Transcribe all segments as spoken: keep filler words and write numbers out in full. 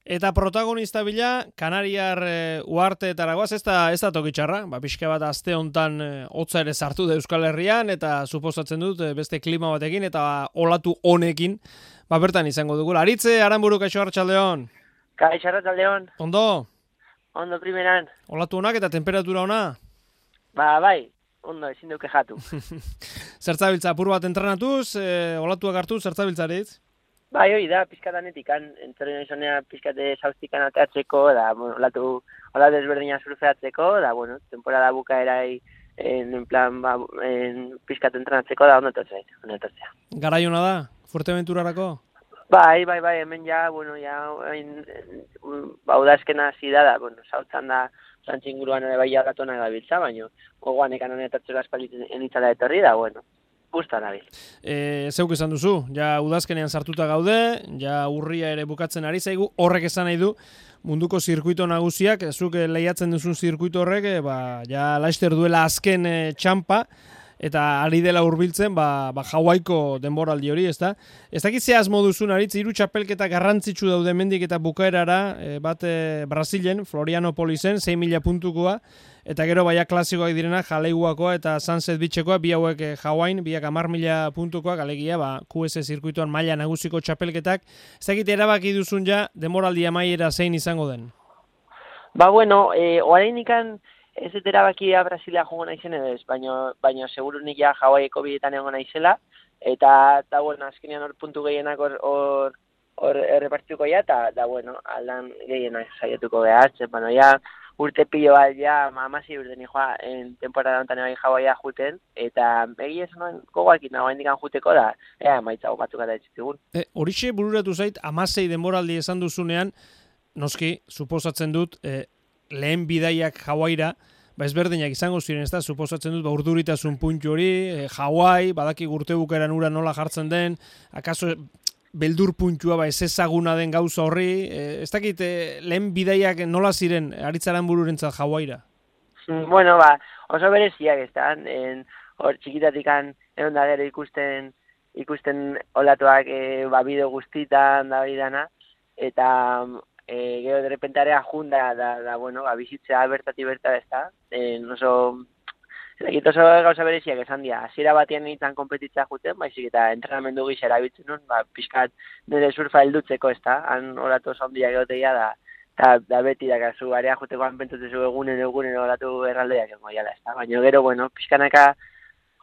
Eta protagonista bila, Kanariar e, uarteetara goaz, ez da, ez da tokitxarra, ba, pixka bat aste hontan e, hotza ere sartu da Euskal Herrian, eta suposatzen dut e, beste klima batekin, eta olatu honekin, ba, bertan izango dugula. Aritze, Aranburu, kaixo Arratsaldeon. Kaixo Arratsaldeon. Ondo? Ondo primeran. Olatu honak eta temperatura ona? Ba, bai, ondo, ezin duke jatu. Zertzabiltza, apur bat entrenatuz, e, olatuak hartu, zertzabiltzaritz? Bai, hori da, pizkatanetik, entzaren izonea pizkate zauztikan ateatzeko, da, bueno, olatu, olatu ezberdina surfeatzeko, da, bueno, temporada bukaerai, en, en plan, ba, en, pizkate entrenatzeko, da, ondo etortzea, ondo etortzea. Garaiona da, Fuerteventurarako? Bai, bai, bai, hemen ja, bueno, ja, hain, ba, udazkena hasi da, da, bueno, zautzan da, zantzinguruan ere bai jauratona gabiltza, baina, gogoan ekan honen etortzeko aspalitzen enitzala etorri da, bueno, gusta nabil. E, zeuk esan duzu, ja udazkenean sartuta gaude, ja urria ere bukatzen ari zaigu, horrek esan nahi du, munduko zirkuito nagusiak, zuk lehiatzen duzun zirkuito horrek, ba, ja laister duela azken e, txampa, eta ari dela hurbiltzen, ba, ba Hawaiiko denboraldi hori, ez da? Ez dakit ze asmo duzun, Aritz, hiru txapelketa garrantzitsu daude mendik eta bukaerara, e, bat e, Brasilen, Florianopolisen, sei mila puntukoa, eta gero baia klasikoak direna, Jaleiguakoa eta Sunset Beachekoa, bi hauek e, Hawain, biak hamar mila puntukoak, alegia, ba, Q S zirkuitoan maila nagusiko txapelketak. Ez dakit erabaki duzun ja, denboraldi amaiera zein izango den? Ba, bueno, e, orain ikan, ez dut erabakia Brasilia jongo naizen edo ez, baina, baina segurunik ja Hawaiiko bidetan egon naizela, eta, eta bueno, azkenean hor puntu gehienak hor, hor, hor errepartituko ja, eta, da, bueno, aldan gehienak saiatuko behatzen, bueno, ja, urte pilo bat, ja, amasi urte nijoa, en temporada honetan ebai Hawaia juten, eta egi ez noen gogoakin nagoen dikan juteko da, ea, maitzago batzuk eta etxitzigun. E, horixe bururatu zait, amasei denboraldi esan duzunean, noski, suposatzen dut, e, lehen bidaiak Hawaira, ba ezberdinak izango ziren, ez da, suposatzen dut, ba urduritasun puntu hori, e, Hawaii, badaki urte bukaeran ura nola jartzen den, akaso beldur puntua, ba ez ezaguna den gauza horri, e, ez dakit, e, lehen bidaiak nola ziren Aritz Aranbururentzat Hawaira? Bueno, ba, oso bereziak ez da, hor txikitatikan egon da gero ikusten, ikusten olatuak e, ba bideo guztitan da bidana, eta E, gero derrepentarea junda da, da, bueno, ba, bizitzea bertati berta ez da. E, oso, oso gauza bereziak esan dira. Hasiera batean nintzen kompetitzea juten, baizik eta entrenamendu gisa erabiltzen nun, ba, pixkat nire surfa heldutzeko ez da. Han oratu oso handiak egoteia da, da, da beti dakazu, area juteko han pentsatzen egunen egunen oratu erraldeak egon jala ez da. Baina gero, bueno, pixkanaka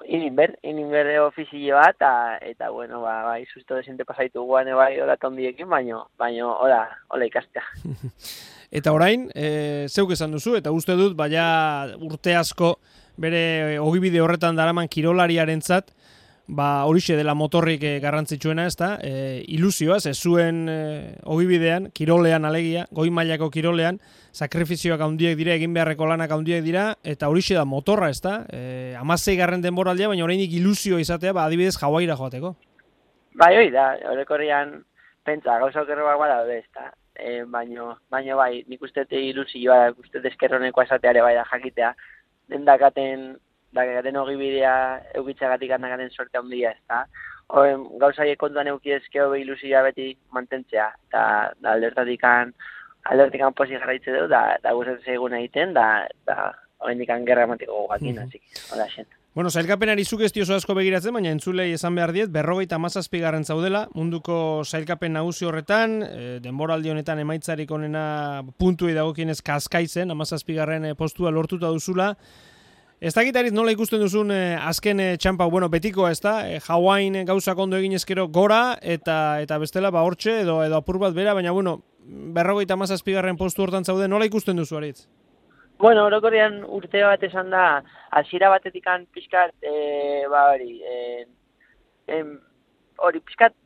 ininber, ininber ofizio bat, eta, eta bueno, ba, bai, susto desente pasaitu guan ebai oratu handiekin, baino, baino, hola, hola ikastea. Eta orain, e, zeuk esan duzu, eta uste dut, baina urte asko bere ogibide horretan daraman kirolariarentzat, ba horixe dela motorrik e, garrantzitsuena, ez da, e, ilusioaz, ez zuen e, ogibidean, kirolean alegia, goi mailako kirolean, sakrifizioak handiek dira, egin beharreko lanak handiek dira, eta horixe da motorra, ez da, e, amasei garren denboraldia, baina orainik ilusio izatea, ba adibidez Hawaira joateko. Bai, hori da, horrekorrian pentsa, gauza okerroak bada daude, ez da, e, baino, baino bai, nik uste ilusioa, uste eskerroneko esateare bai da jakitea, dendakaten, dakaten ogibidea eukitzagatik handakaten sorte handia, ez da. Horren, gauzaiek kontuan eukidezkeo be ilusioa beti mantentzea, eta da, aldertatikan, aldertikan posi jarraitze du, da, da gustatzen egun egiten, da, da horrendikan gerra ematiko gogakin, mm-hmm. Asik, hola xen. Bueno, sailkapenari zuk ez diozu asko begiratzen, baina entzulei esan behar diet, berrogeita hamazazpigarren zaudela, munduko sailkapen nagusi horretan, e, denboraldi honetan emaitzarik onena puntuei dagokienez Kaskaizen, hamazazpigarren postua lortuta duzula. Ez dakit Aritz nola ikusten duzun eh, azken eh, txampa, bueno, betikoa ez da, eh, Hawain gauzak ondo egin ezkero gora, eta eta bestela ba hortxe edo edo apur bat bera, baina bueno, berrogeita hamazazpigarren postu hortan zaude, nola ikusten duzu Aritz? Bueno, orokorrean urte bat esan da, hasiera batetikan pixkat, e, ba hori, e, em, hori pixkat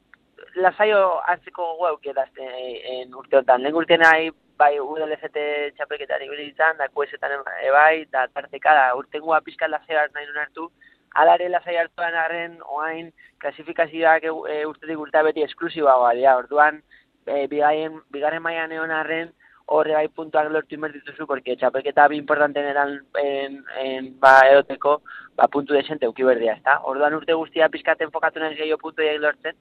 lasaio hartzeko guauk edazten urte honetan. Lehen urtean nahi, bai U D L C T txapelketarik bilitzen, da Q S-etan ebai, da tarteka, da urtengua pixkat lasaio hart nahi duen hartu, alare lasaio hartuan arren, oain, klasifikazioak e, urtetik urtea beti esklusibagoa dira, orduan, e, bigarren, bigarren mailan egon arren, horre bai puntuak lortu inbertituzu, porque txapelketa bi importanten eran en, en, ba, edoteko, ba, puntu desente uki berdia, ezta? Orduan urte guztia pizkat enfokatu nahi gehiago puntu egin lortzen,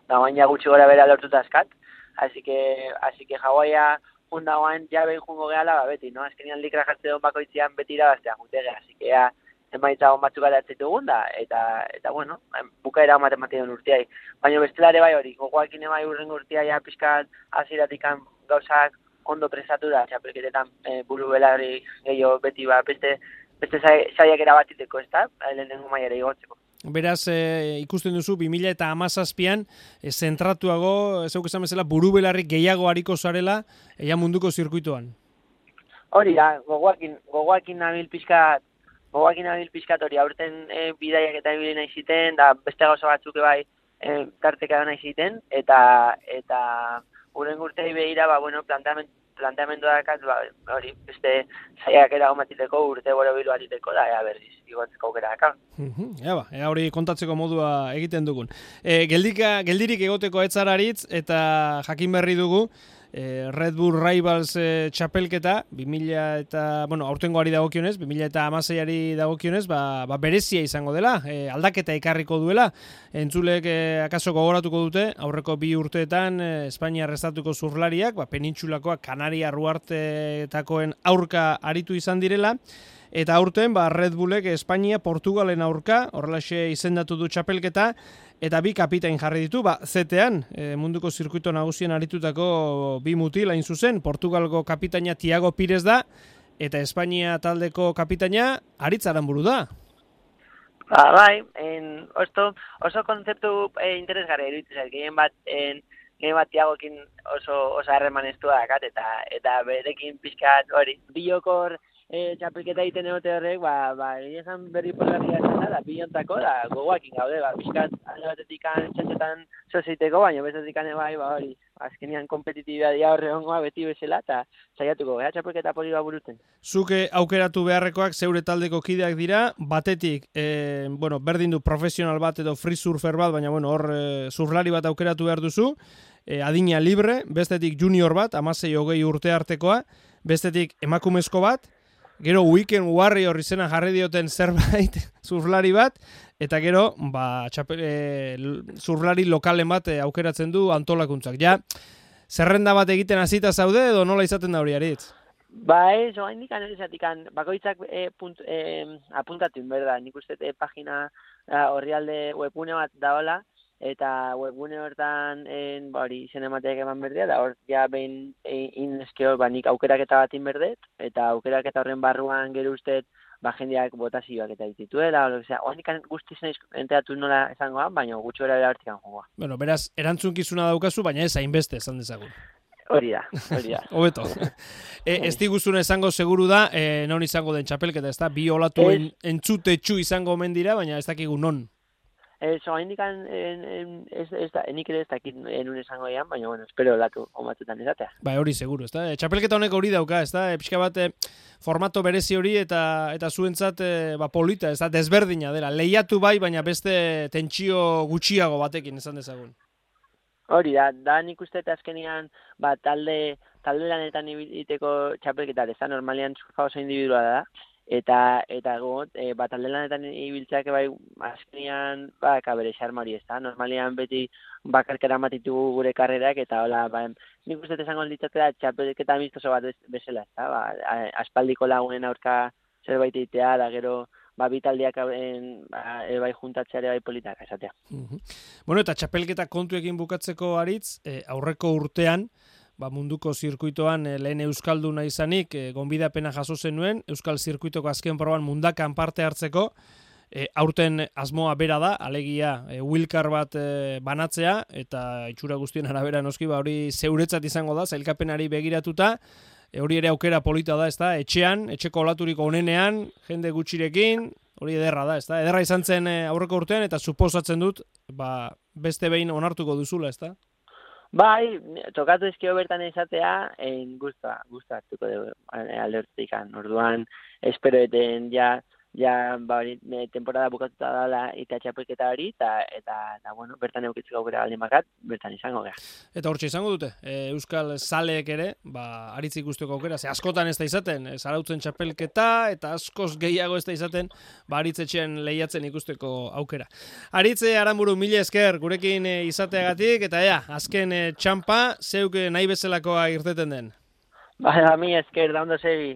da baina gutxi gora bera lortuta askat, así que, así que Hawaia jundagoan ja behin jungo gehala, ba, beti, no? Azkenean likra jartze duen bakoitzean beti irabaztea jutege, así que ja, emaitza hon batzuk gara etzetugun da, eta, eta bueno, bukaera hon matematik duen urteai. Baina bestelare bai hori, gogoakin bai urrengo urtea ja pixkat aziratikan gauzak ondo presatu da, txapelketetan e, buru belarri gehiago beti ba, beste, beste saiak erabatiteko, ez da, lehenengo maiara igotzeko. Beraz, e, ikusten duzu, bi mila hamazazpian, e, zentratuago, ez esan bezala, buru belarri gehiago hariko zarela, ea munduko zirkuitoan. Hori da, gogoakin, gogoakin nabil pixkat, gogoakin nabil pixkat hori, aurten e, bidaiak eta ibili nahi ziten, da beste gauza batzuk bai e, tarteka nahi ziten, eta, eta uren urtei behira, ba, bueno, planteamendu planteamendu dakat, ba, hori, beste saiak eragomatiteko, urte boro bilu atiteko, da, ea berriz, igotzeko aukera daka. Ea ba, ea hori kontatzeko modua egiten dugun. E, geldika, geldirik egoteko etzararitz, eta jakin berri dugu, e, Red Bull Rivals e, txapelketa, bi mila eta, bueno, aurtengoari dagokionez, bi mila hamaseiari dagokionez, ba, ba berezia izango dela, e, aldaketa ekarriko duela, entzulek e, akaso gogoratuko dute, aurreko bi urteetan e, Espainia restatuko zurlariak, ba, penintxulakoak Kanaria Ruartetakoen aurka aritu izan direla, eta aurten ba, Red Bullek Espainia Portugalen aurka, horrelaxe izendatu du txapelketa, eta bi kapitain jarri ditu, ba, zetean, e, munduko zirkuito nagusien aritutako bi mutil hain zuzen, Portugalgo kapitaina Tiago Pires da, eta Espainia taldeko kapitaina Aritz Aranburu da. Ba, bai, en, oso, oso kontzeptu e, interesgarri eruditzen, gehien bat, en, gehien bat Tiagokin oso, oso harremanestua dakat, eta, eta berekin pixkat hori, bilokor, E, txapelketa egiten egote horrek, ba, ba, egin berri polarria zen da, bilontako, da, gogoakin gaude, ba, pixkat, alde batetik txantxetan zozeiteko, baina bezatik bai, ba, hori, azkenian kompetitibidadia horre hongoa beti bezala, eta saiatuko, ea txapelketa poli ba buruten. Zuke aukeratu beharrekoak zeure taldeko kideak dira, batetik, e, bueno, berdin du profesional bat edo free surfer bat, baina, bueno, hor, e, surflari bat aukeratu behar duzu, e, adina libre, bestetik junior bat, amasei hogei urte artekoa, bestetik emakumezko bat, gero Weekend Warrior izena jarri dioten zerbait surflari bat, eta gero ba, txapel, e, surflari lokalen bat e, aukeratzen du antolakuntzak. Ja, zerrenda bat egiten hasita zaude edo nola izaten da hori Aritz? Ba ez, oain nik analizatik, bakoitzak e, punt, e, apuntatu, berda, nik uste e, pagina horrialde webune bat daola, eta webgune hortan en, ba, hori izen emateak eman berdea, da hor ja behin inezkeo ba, nik aukeraketa bat inberdet, eta aukeraketa horren barruan gero usteet ba, jendeak botazioak eta ditituela, oan ikan guztiz nahiz enteratu nola esangoan, baina gutxo era berartikan jogoa. Bueno, beraz, erantzunkizuna daukazu, baina ez hainbeste esan dezagun. Hori da, hori da. Hobeto. e, ez diguzun esango seguru da, e, non izango den txapelketa, ez da, bi olatu en, entzutetxu izango omen dira, baina ez dakigu non. Eso, indican en, en, ez, ez da, enik ere ez dakit enun esango ean, baina, bueno, espero latu omatutan izatea. Ba, hori seguru, ez da? Txapelketa honek hori dauka, ez da? E, pixka bat, e, formato berezi hori eta eta zuentzat e, ba, polita, ez da? Desberdina dela. Lehiatu bai, baina beste tentsio gutxiago batekin, esan dezagun. Hori da, da nik uste eta azkenian, ba, talde, talde lanetan ibiteko txapelketa, ez da, normalian surfa oso individuala da, eta eta got, e, bat alde lanetan ibiltzeak bai azkenean ba, kabere xarmari ez da, normalian beti bakarkera matitugu gure karrerak, eta hola, ba, nik uste esango ditzatea txapelketa amistoso bat bezala, ez da, ba, aspaldiko lagunen aurka zerbait egitea, da gero, ba, bitaldiak ba, bai juntatzeare bai politak, esatea. Uh-huh. Bueno, eta txapelketa kontuekin bukatzeko Aritz, e, aurreko urtean, ba, munduko zirkuitoan e, lehen euskalduna izanik, e, gonbidapena jaso zenuen, euskal zirkuitoko azken proban mundakan parte hartzeko, e, aurten asmoa bera da, alegia e, wilkar bat e, banatzea, eta itxura guztien arabera noski, ba, hori zeuretzat izango da, zailkapenari begiratuta, e, hori ere aukera polita da, ez da, etxean, etxeko olaturiko onenean, jende gutxirekin, hori ederra da, ez da, ederra izan zen e, aurreko urtean, eta suposatzen dut, ba, beste behin onartuko duzula, ez da? Bai, tokatu ezkio bertan izatea, en gusta, gusta hartuko dugu alde hortzikan. Orduan, espero eten ja ja, ba, hori, e, temporada bukatuta dala eta txapelketa hori, eta, eta, eta, bueno, bertan eukitzeko aukera baldin bakat, bertan izango gara. Eta hortxe izango dute, e, Euskal Zaleek ere, ba, aritzik ikusteko aukera, ze askotan ez da izaten, e, zarautzen txapelketa, eta askoz gehiago ez da izaten, ba, aritzetxean lehiatzen ikusteko aukera. Aritze Aranburu, mila esker, gurekin e, izateagatik, eta ea, azken e, txampa, zeuk nahi bezalakoa irteten den. Ba, mila esker, da ondo zebi.